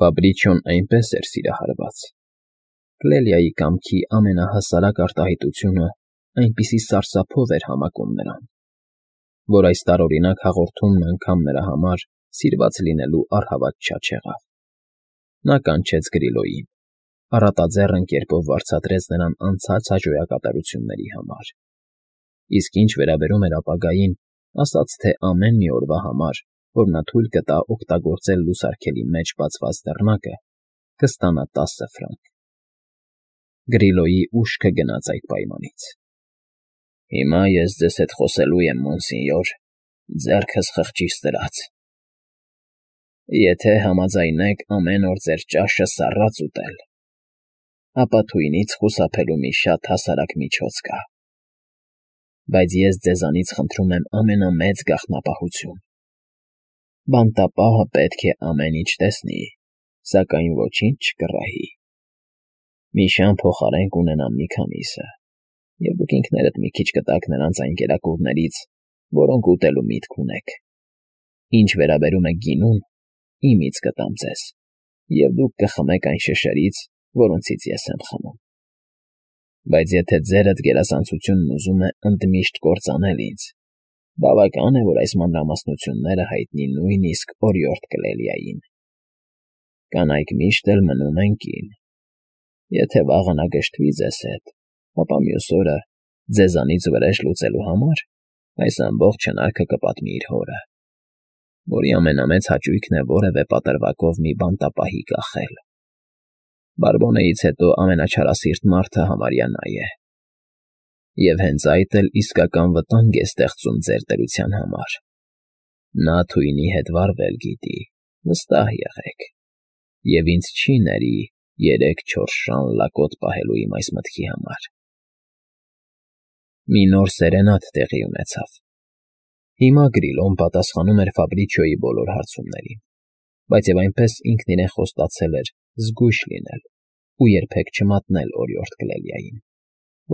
Ֆաբրիչոն այնպես էր սիրահարված։ Կլելիայի կամքի ամենահասարակ արտահայտությունը այնպիսի սարսափով էր համակում նրան, որ այս տարօրինակ հաղորդումն անգամ նրա համար սիրված լինելու առհավատ չեղավ։ Նա կանչեց Գրիլոյին, առատաձեռն կերպով վարձատրեց նրան անցած հաջողակատարությունների համար, իսկ ինչ վերաբերում էր ապագային, ասաց, թե ամեն մի օրվա համար, որ նա թույլ կտա օգտագործել լուսարգելի մեջ բացված դռնակը, կստանա 10 ֆրանկ։ Գրիլոյի ուշքը գնաց այդ պայմանից։ Հիմա ես ձեզ հետ խոսելու եմ, մոնսինյոր, ձեռքս խղճիս դրած։ Եթե համաձայնեք ամեն օր ձեր ճաշը սառած ուտել, ապա թույնից խուսափելու մի շատ հասարակ միջոց կա, բայց ես ձեզանից խնդրում եմ ամենամեծ գաղտնապահություն. բանտապահը պետք է ամեն ինչ տեսնի, սակայն ոչինչ չկռահի։ Մի շան փոխարեն կունենամ մի քանիսը, և դուք ինքներդ մի քիչ կտաք նրանց այն կերակուրներից, որոնք ուտելու միտք ունեք։ Ինչ վերաբերում է գինուն, իմից կտամ ձեզ, և դուք կխմեք այն շշերից, որոնցից ես եմ խմում։ Բայց եթե ձերդ գերազանցությունն ուզում է ընդմիշտ կործանել ինձ, բավական է, որ այս մանրամասնությունները հայտնի նույնիսկ օրիորդ Կլելիային։ Կանայք միշտ էլ մնում են կին։ Եթե վաղը նա գժտվի ձեզ հետ, ապա մյուս օրը, ձեզանից վրեժ լուծելու համար, այս ամբողջ հնարքը կպատմի իր հորը, որի ամենամեծ հաճույքն է որևէ պատրվակով մի բանտապահի կախել։ Բարբոնեից հետո ամենաչարասիրտ մարդը համարյա նա է։ Եվ հենց այդ էլ իսկական վտանգ է ստեղծում ձեր դրության համար։ Նա թույնի հետ վարվել գիտի, վստահ եղեք, և ինձ չի ների 3-4 շան լակոտ պահելու իմ այս մտքի համար։ Մի նոր սերենադ տեղի ունեցավ։ Հիմա Գրիլոն պատասխանում էր Ֆաբրիչոյի բոլոր հարցումներին, բայց և այնպես ինքն իրեն խոստացել էր զգույշ լինել ու երբեք չմատնել օրիորդ Կլելիային,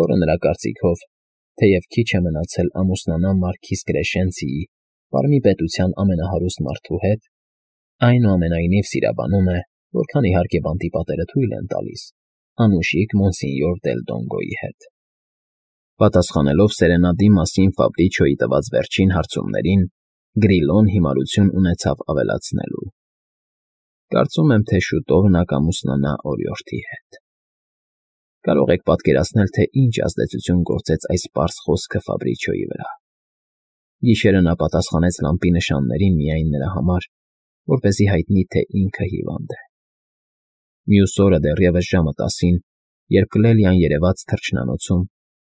որը նրա կարծիքով, թեև քիչ է մնացել ամուսնանա մարքիզ Կրեշենցիի, Պարմի պետության ամենահարուստ մարդու հետ, այնուամենայնիվ սիրաբանում է, որքան իհարկե բանտի պատերը թույլ են տալիս, անուշիկ մոնսինյոր դել Դոնգոյի հետ։ Պատասխանելով սերենադի մասին Ֆաբրիչոյի տված վերջին հարցումներին, Գրիլոն հիմարություն ունեցավ ավելացնելու. Կարծում եմ, թե շուտով նա կամուսնանա օրիորդի հետ։ Կարող եք պատկերացնել, թե ինչ ազդեցություն գործեց այս պարզ խոսքը Ֆաբրիչոյի վրա։ Գիշերը նա պատասխանեց լամպի նշաններին միայն նրա համար, որպեսզի հայտնի, թե ինքը հիվանդ է։ Մյուս օրը դեռևս ժամը 10-ին, երբ Կլելիան երևաց թռչնանոցում,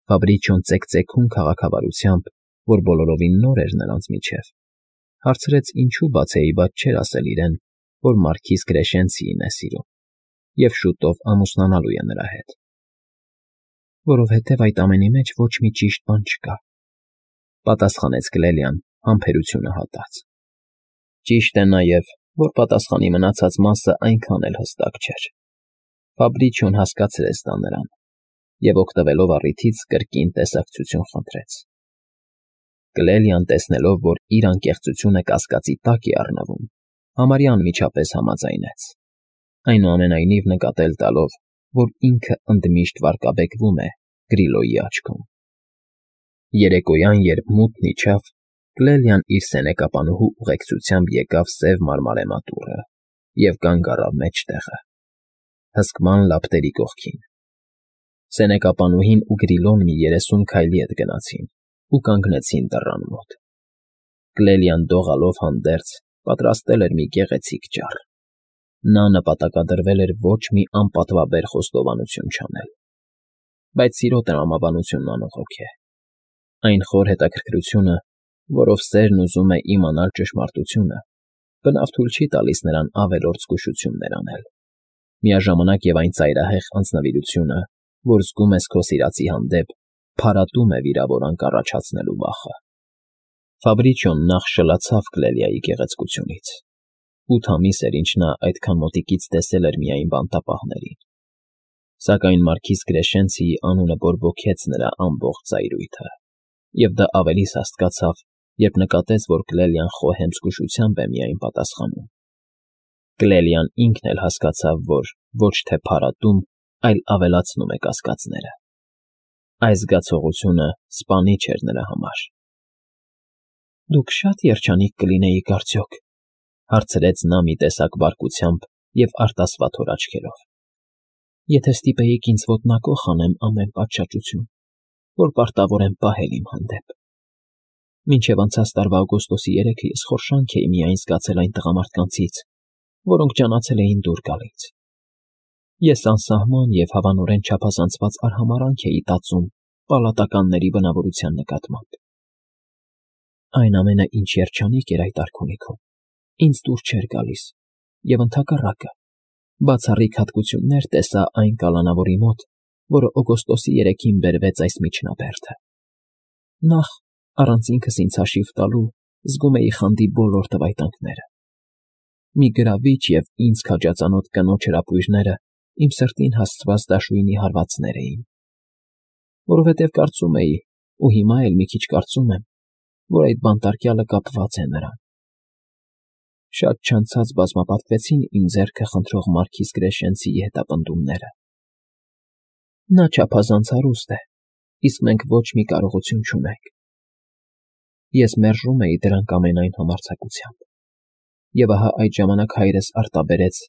Ֆաբրիչոն ծեքծեքում քաղաքավարությամբ, որ բոլորովին նոր էր նրանց միջև, հարցրեց ինչու բացեիբաց չէր ասել իրեն, որ մարքիզ Կրեշենցիին է սիրում և շուտով ամուսնանալու է նրա հետ։ Որովհետև այդ ամենի մեջ ոչ մի ճիշտ բան չկա, պատասխանեց Կլելիան համբերությունը հատած։ Ճիշտ է նաև, որ պատասխանի մնացած մասը այնքան էլ հստակ չէր։ Ֆաբրիչոն հասկացրեց դա նրան և օգտվելով առիթից կրկին տեսակցություն խնդրեց։ Կլելիան, տեսնելով, որ իր անկեղծությունը կասկածի տակ է առնվում, համարյա անմիջապես համաձայնեց, այնուամենայնիվ նկատել տալով, որ ինքը ընդմիշտ վարկաբեկվում է Գրիլոյի աչքում։ Երեկոյան, երբ մութն իջավ, Կլելիան իր սենեկապանուհու ուղեկցությամբ եկավ սև մարմարե մատուռը և կանգ առավ մեջտեղը, հսկման լապտերի կողքին։ Սենեկապանուհին ու Գրիլոն մի 30 քայլի հետ գնացին ու կանգնեցին դռան մոտ։ Կլելիան դողալով հանդերձ պատրաստել էր մի գեղեցիկ ճառ։ Նա նպատակադրվել էր ոչ մի անպատվաբեր խոստովանություն չանել, բայց սիրո տրամաբանությունն անողոք է։ Այն խոր հետաքրքրությունը, որով սերն ուզում է իմանալ ճշմարտությունը, բնավ թույլ չի տալիս նրան ավելորդ զգուշություններ անել, միաժամանակ և այն ծայրահեղ անձնվիրությունը, որ զգում ես քո սիրածի հանդեպ, փարատում է վիրավորանք առաջացնելու վախը։ Ֆաբրիչոն նախ շլացավ Կլելիայի գեղեցկությունից։ 8 ամիս էր, ինչ նա այդքան մոտիկից տեսել էր միայն բանտապահներին։ Սակայն մարքիզ Կրեշենցիի անունը բորբոքեց նրա ամբողջ ծայրույթը, և դա ավելի սաստկացավ, երբ նկատեց, որ Կլելիան խոհեմ զգուշությամբ է միայն պատասխանում։ Կլելիան ինքն էլ հասկացավ, որ ոչ թե փարատում, այլ ավելացնում է կասկածները։ Այս զգացողությունը սպանիչ էր նրա համար։ «Դուք շատ երջանիկ կլինեիք, արդյոք,֊ հարցրեց նա մի տեսակ բարկությամբ և արտասվաթոր աչքերով,֊ եթե ստիպեիք ինձ ոտնակոխ անեմ ամեն պատշաճություն, որ պարտավոր եմ պահել իմ հանդեպ։ Մինչև անցած տարվա օգոստոսի 3-ը ես խորշանք էի միայն զգացել այն տղամարդկանցից, որոնք ջանացել էին դուր գալիս։ Ես անսահման և հավանորեն չափազանցված արհամարհանք էի տածում պալատականների բնավորության նկատմամբ։ Այն ամենը, ինչ երջանիկ էր այդ արքունիքում, ինձ դուր չէր գալիս, և ընդհակառակը, բացառիկ հատկություններ տեսա այն կալանավորի մոտ, որը օգոստոսի 3-ին բերվեց այս միջնաբերդը։ Նախ, առանց ինքս ինձ հաշիվ տալու, զգում էի խանդի բոլոր տվայտանքները։ Մի գրավիչ և ինձ քաջածանոթ կնոջ հրապույրները իմ սրտին հասցված դաշույնի հարվածներ էին։ Որովհետև կարծում էի, ու հիմա էլ մի քիչ կարծում եմ, որ այդ բանտարկյալը կապված է նրան։ Շատ չանցած բազմապատկվեցին իմ ձեռքը խնդրող Մարգիս Կրեշենցիի հետապնդումները։ Նա չափազանց հարուստ է, իսկ մենք ոչ մի կարողություն չունենք։ Ես մերժում էի դրանք ամենայն համարձակությամբ։ Եվ ահա այդ ժամանակ հայրս արտաբերեց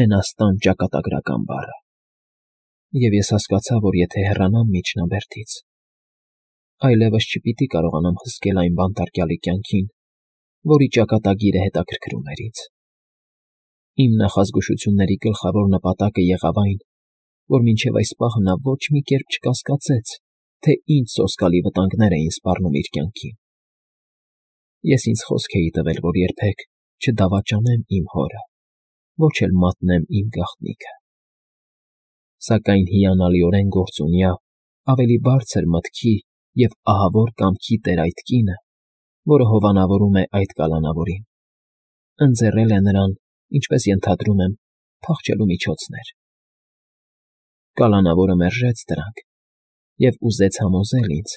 մենաստան ճակատագրական բառը։ Եվ ես հասկացա, որ եթե հեռանամ միջնաբերդից, այլևս չպիտի կարողանամ հսկել այն բանտարկյալի կյանքին, որի ճակատագիրը հետաքրքրում էր ինձ։ Իմ նախազգուշությունների գլխավոր նպատակը եղավ այն, որ մինչև այս պահը նա ոչ մի կերպ չկասկածեց, թե ինչ սոսկալի վտանգներ էին սպառնում իր կյանքին։ Ես ինձ խոսք էի տվել, որ երբեք չդավաճանեմ իմ հորը, ոչ էլ մատնեմ իմ գաղտնիքը։ Սակայն հիանալիորեն գործունյա, ավելի բարձր մտքի և ահավոր կամքի տեր այդ կինը, որը հովանավորում է այդ կալանավորին, ընձեռել է նրան, ինչպես ենթադրում եմ, փախչելու միջոցներ։ Կալանավորը մերժեց դրանք և ուզեց համոզել ինձ,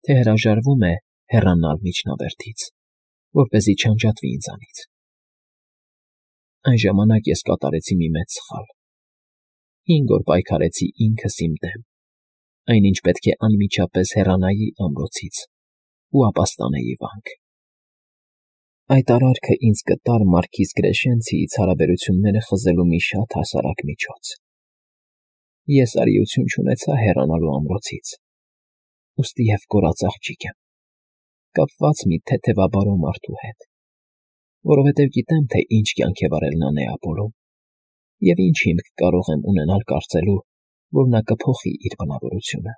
թե հրաժարվում է հեռանալ միջնաբերդից, որպեսզի չանջատվի ինձանից։ Այն ժամանակ ես կատարեցի մի մեծ սխալ։ 5 օր պայքարեցի ինքս իմ դեմ, այնինչ պետք է անմիջապես հեռանայի ամրոցից ու ապաստանեի վանք։ Այդ արարքը ինձ կտար Մարգիս Կրեշենցիից հարաբերությունները խզելու մի շատ հասարակ միջոց։ Ես արիություն չունեցա հեռանալու ամրոցից, ուստի և կորած աղջիկ եմ, կապված մի թեթևաբարո մարդու հետ, որովհետև գիտեմ, թե ինչ կյանք է վարել նա Նեապոլում, և ինչ հիմք կարող եմ ունենալ կարծելու, որ նա կփոխի իր բնավորությունը։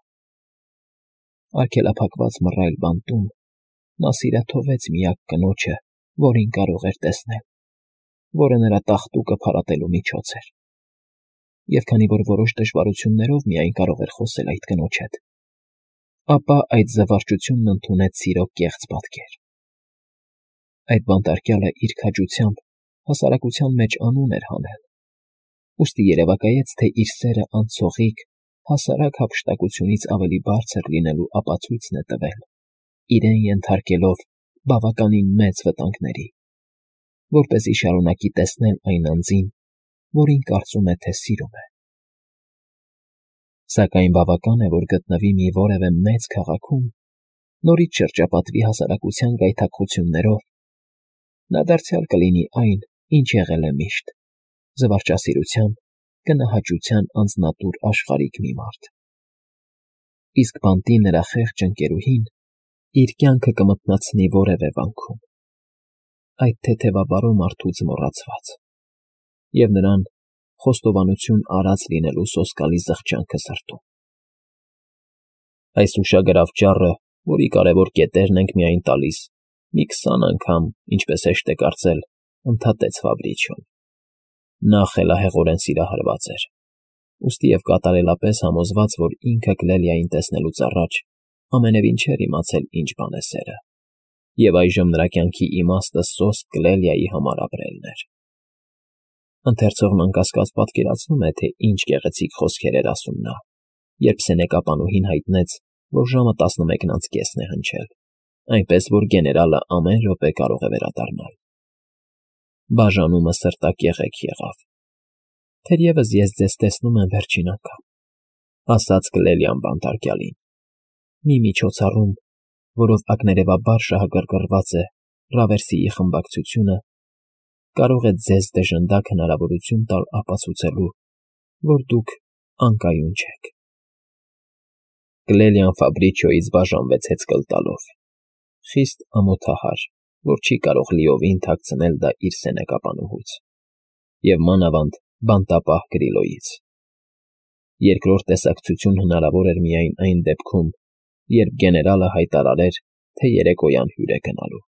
Արգելափակված մռայլ բանտում նա սիրաթողեց միակ կնոջը, որին կարող էր տեսնել, որը նրա տաղտուկը փարատելու միջոց էր։ Եվ քանի որ որոշ դժվարություններով միայն կարող էր խոսել այդ կնոջ հետ, ապա այդ զվարճությունն ընդունեց սիրո կեղծ պատկեր։ Այդ բանտարկյալը իր քաջությամբ հասարակության մեջ անուն էր հանել, ուստի երևակայեց, թե իր սերը անցողիկ, հասարակ հափշտակությունից ավելի բարձր լինելու ապացույցն է տվել, իրեն ենթարկելով բավականին մեծ վտանգների, որպեսզի շարունակի տեսնել այն անձին, որին կարծում է, թե սիրում է։ Սակայն բավական է, որ գտնվի մի որևէ մեծ քաղաքում, նորից շրջապատվի հասարակության գայթակղություններով, նա դարձյալ կլինի այն, ինչ եղել է միշտ՝ զվարճասիրության, կնահաճության անձնատուր աշխարհիկ մի մարդ։ Իսկ բանտի նրա խեղճ ընկերուհին իր կյանքը կմթնացնի որևէ վանքում, այդ թեթևաբարո մարդուց մոռացված, և նրան խոստովանություն արած լինելու սոսկալի զղջանքը սրտում։ Այս ուշագրավ ճառը, որի կարևոր կետերն ենք միայն տալիս, մի 20 անգամ, ինչպես հեշտ է կարծել, ընդհատեց Ֆաբրիչիոն։ Նա խելահեղորեն սիրահարված էր, ուստի և կատարելապես համոզված, որ ինքը Կլելիային տեսնելուց առաջ ամենևին չէր իմացել ինչ բան է սերը, և այժմ նրա կյանքի իմաստը սոսկ Կլելիայի համար ապրելն էր։ Ընթերցողն անկասկած պատկերացնում է, թե ինչ գեղեցիկ խոսքեր էր ասում նա, երբ սենեկապանուհին հայտնեց, որ ժամը 11:30 է հնչել, այնպես որ գեներալը ամեն րոպե կարող է վերադառնալ։ Բաժանումը սրտակեղեք եղավ։ «Թերևս ես ձեզ տեսնում եմ վերջին անգամ», ասաց Կլելիան բանտարկյալին։ «Մի միջոցառում, որով ակներևաբար շահագրգռված է Ռավերսիի խմբակցությունը, կարող է ձեզ դժնդակ հնարավորություն տալ ապացուցելու, որ դուք անկայուն չեք»։ Կլելիան Ֆաբրիչիոյից բաժանվեց հեծկլ տալով, խիստ ամոթահար, որ չի կարող լիովին թաքցնել դա իր սենյակապանուհուց, և մանավանդ բանտապահ Գրիլոյից։ Երկրորդ տեսակցություն հնարավոր էր միայն այն դեպքում, երբ գեներալը հայտարարեր, թե երեկոյան հյուր է գնալու։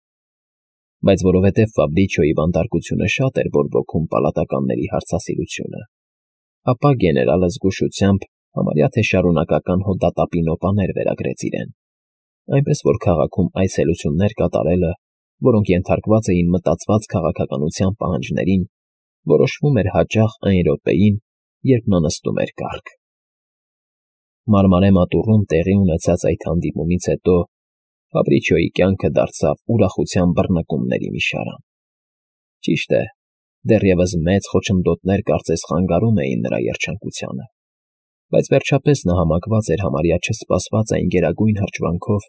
Բայց որովհետև Ֆաբրիչիոյի բանտարկությունը շատ էր բորբոքում պալատականների հարցասիրությունը, ապա գեներալը զգուշությամբ համարյա թե շարունակական հոդատապի նոպաներ վերագրեց իրեն, այնպես որ քաղաքում այցելություններ կատարելը, որոնք ենթարկված էին մտածված քաղաքականության պահանջներին, որոշվում էր հաճախ այն րոպեին, երբ նա նստում էր կառք։ Մարմարե մատուռում տեղի ունեցած այդ հանդիպումից հետո Ֆաբրիչիոյի կյանքը դարձավ ուրախության բռնկումների մի շարան։ Ճիշտ է, դեռևս մեծ խոչընդոտներ կարծես խանգարում էին նրա երջանկությանը, բայց վերջապես նա համակված էր համարյա չսպասված այն գերագույն հրճվանքով,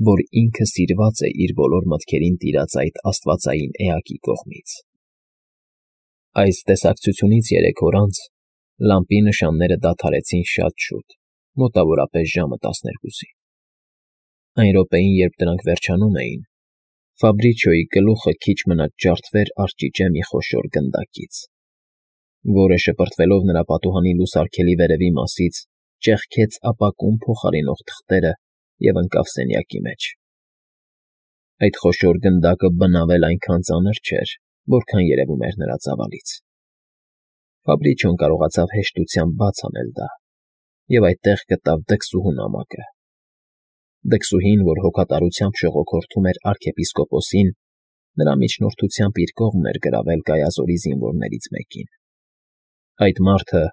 որ ինքը սիրված է իր բոլոր մտքերին տիրած այդ աստվածային էակի կողմից։ Այս տեսակցությունից 3 օր անց լամպի նշանները դադարեցին շատ շուտ, մոտավորապես ժամը 12-ին։ Այն րոպեին, երբ դրանք վերջանում էին, Ֆաբրիչիոյի գլուխը քիչ մնաց ջարդվեր արճիճե մի խոշոր գնդակից, որը, շպրտվելով նրա պատուհանի լուսարգելի վերևի մասից, ճեղքեց ապակուն փոխարինող թղթերը և ընկավ սենյակի մեջ։ Այդ խոշոր գնդակը բնավ էլ այնքան ծանր չէր, որքան երևում էր նրա ծավալից։ Ֆաբրիչիոն կարողացավ հեշտությամբ բաց անել դա և այդտեղ գտավ դքսուհու նամակը։ Դքսուհին, որ հոգատարությամբ շողոքորթում էր արքեպիսկոպոսին, նրա միջնորդությամբ իր կողմն էր գրավել Գայազորի զինվորներից մեկին։ Այդ մարդը,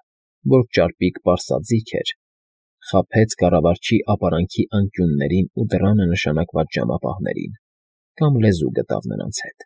որ ճարպիկ պարսաձիգ էր, խաբեց կառավարչի ապարանքի անկյուններին ու դռանը նշանակված ժամապահներին կամ լեզու գտավ նրանց հետ։